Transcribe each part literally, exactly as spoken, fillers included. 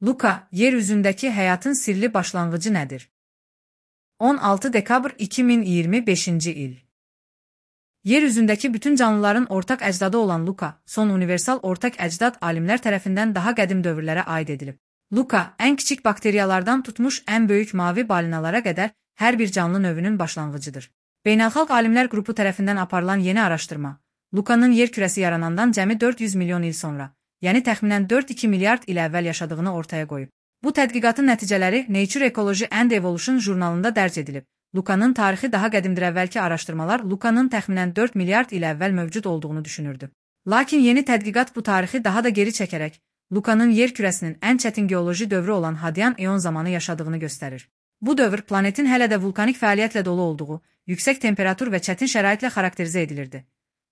Luka, yeryüzündeki hayatın sirli başlangıcı nedir? on altı dekabr iki min iyirmi beşinci il. Yeryüzündeki bütün canlıların ortak ecdadı olan Luka, son universal ortak ecdat alimler tarafından daha qədim dövrlərə aid edilib. Luka, en küçük bakteriyalardan tutmuş en büyük mavi balinalara kadar her bir canlı növünün başlanğıcıdır. Beynəlxalq Alimlər Qrupu tərəfindən aparılan yeni araşdırma, Luka'nın yer kürəsi yaranandan cəmi dörd yüz milyon il sonra, yəni təxminən dörd iki milyard il əvvəl yaşadığını ortaya qoyub. Bu tədqiqatın nəticələri Nature Ecology and Evolution jurnalında dərc edilib. Luka'nın tarixi daha qədimdir. Əvvəlki araşdırmalar Luka'nın təxminən dörd milyard il əvvəl mövcud olduğunu düşünürdü. Lakin yeni tədqiqat bu tarixi daha da geri çəkərək, Luka'nın yer kürəsinin ən çətin geoloji dövrü olan Hadyan eon zamanı yaşadığını göstərir. Bu dövr planetin hələ də vulkanik fəaliyyətlə dolu olduğu, yüksək temperatur və çətin şəraitlə xarakterizə edilirdi.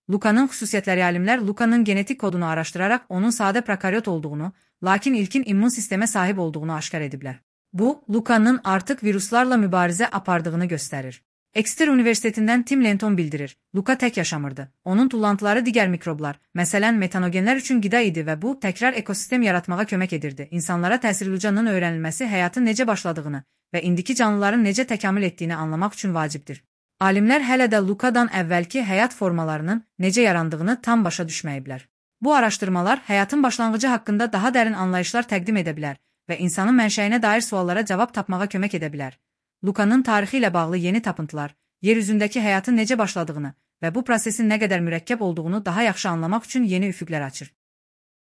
Luka'nın xüsusiyyətləri alimlər Luka'nın genetik kodunu araşdıraraq onun sadə prokaryot olduğunu, lakin ilkin immun sistemə sahib olduğunu aşkar ediblər. Bu, Luka'nın artıq viruslarla mübarizə apardığını göstərir. Exeter Universitetindən Tim Lenton bildirir, Luka tək yaşamırdı. Onun tullantıları digər mikroblar, məsələn metanogenlər üçün qida idi və bu, təkrar ekosistem yaratmağa kömək edirdi. İnsanlara təsirli Luca'nın öyrənilməsi həyatın necə başladığını və indiki canlıların necə təkamül etdiyini anlamaq üçün vacibdir. Alimlər hələ də Luka'dan əvvəlki həyat formalarının necə yarandığını tam başa düşməyiblər. Bu araşdırmalar həyatın başlanğıcı haqqında daha dərin anlayışlar təqdim edə bilər və insanın mənşəyinə dair suallara cavab tapmağa kömək edə bilər. Luka'nın tarixi ilə bağlı yeni tapıntılar, yer üzündəki həyatın necə başladığını və bu prosesin nə qədər mürəkkəb olduğunu daha yaxşı anlamaq üçün yeni üfüqlər açır.